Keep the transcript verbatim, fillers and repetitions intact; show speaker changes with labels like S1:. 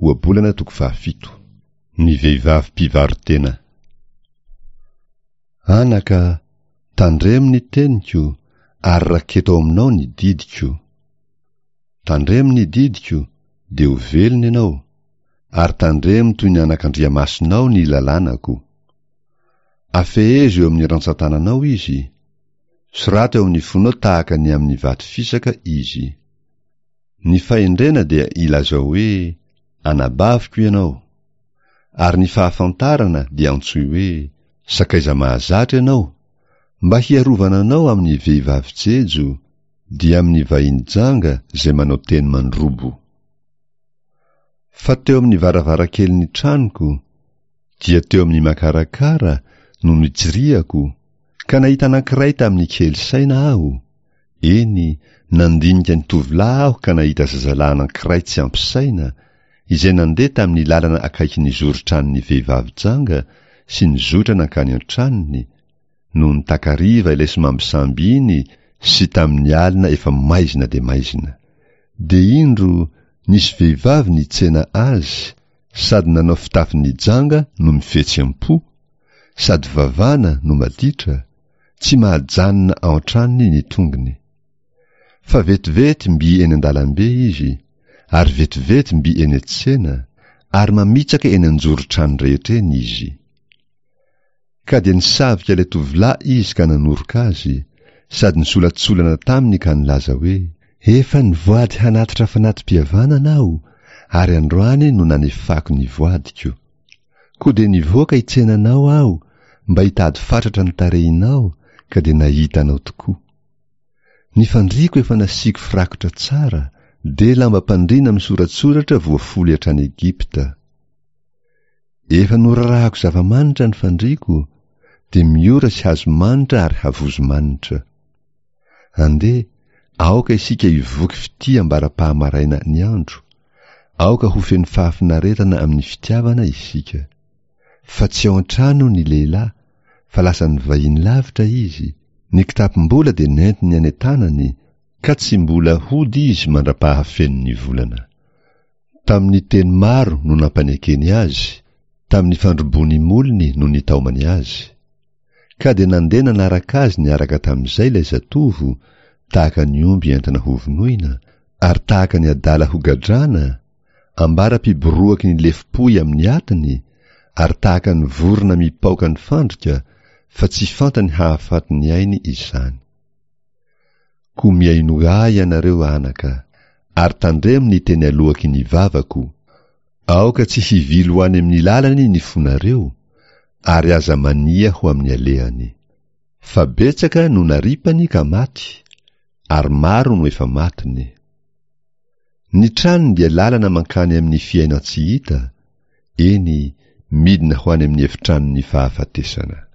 S1: Ohabolana toko fahafito. Ny vehivavy mpivaro-tena. Anaka, tandremo ny teniko, ary raketo ao aminao ny didiko. Tandremo ny didiko, dia ho velona ianao, ary tandremo toy ny anakandriamasonao ny lalànako. Afehezo eo amin'ny rantsan-tananao izy, soraty eo amin'ny fonao tahaka ny amin'ny vato fisaka izy. Ny fahendrena dia ilazao hoe anabaviko ianao, ary ny fahafantarana dia antsoy hoe sakaiza mahazatra ianao, mba hiarovana anao amin'ny vehivavy jejo, dia amin'ny vahiny janga izay manao teny mandrobo. Fa teo amin'ny varavarankelin'ny tranoko, dia teo amin'ny makarakara no nitsiriako, ka nahita anankiray tamin'ny kely saina aho, eny, nandinika ny tovolahy aho ka nahita zazalahy anankiray tsy ampy saina, izay nandeha tamin'ny lalana akaikin'ny zoron-tranon'ny vehivavy janga sy nizotra nankany an-tranony, nony takariva ilay somambisamby iny sy tamin'ny alina efa maizina dia maizina. Dia indro nisy vehivavy nitsena azy, sady nanao fitafin'ny janga no mifetsy am-po, sady vavana no maditra, tsy mahajanona ao an-tranony ny tongony. Fa vetivety mby eny an-dalambe izy, ary vetivety mby eny an-tsena, ary mamitsaka eny an-joron-trano rehetra eny izy. Ka dia nisavika ilay tovolahy izy ka nanoroka azy, sady nisolatsolana taminy ka nilaza hoe: Efa nivoady hanatitra fanati-pihavanana aho, ary androany no nanefako ny voadiko. Koa dia nivoaka hitsena anao aho mba hitady fatratra ny tarehinao, ka dia nahita anao tokoa. Ny fandriako efa nasiako firakotra tsara, dia lambam-pandriana misoratsoratra voafoly hatrany Egypta. Efa norarahako zava-manitra ny fandriako, dia miora sy hazo manitra ary havozo manitra. Andeha, aoka isika hivoky fitia ambara-pahamaraina ny andro, aoka ho feno fahafinaretana amin'ny fitiavana isika. Fa tsy ao an-trano ny lehilahy, fa lasa nivahiny lavitra izy, ny kitapom-bola dia nentiny any an-tanany, ka tsy mbola hody izy mandra-pahafeno ny volana. Tamin'ny teny maro no nampanekeny azy, tamin'ny fandrobon'ny molony no nitaomany azy. Ka dia nandeha nanaraka azy niaraka tamin'izay ilay zatovo, tahaka ny omby entina hovonoina, ary tahaka ny adala hogadrana, ambara-piboroaky ny lefom-pohy amin'ny atiny, ary tahaka ny vorona mipaoka ny fandrika, fa tsy fantany hahafaty ny ainy izany. Koa mihainoa ahy ianareo anaka, ary tandremo ny teny aloaky ny vavako. Aoka tsy hivily ho any amin'ny lalany ny fonareo, ary aza mania ho amin'ny alehany. Fa betsaka no naripany ka maty, ary maro no efa matiny. Ny tranony dia lalana mankany amin'ny fiainan-tsy hita, eny, midina ho any amin'ny efitranon'ny fahafatesana.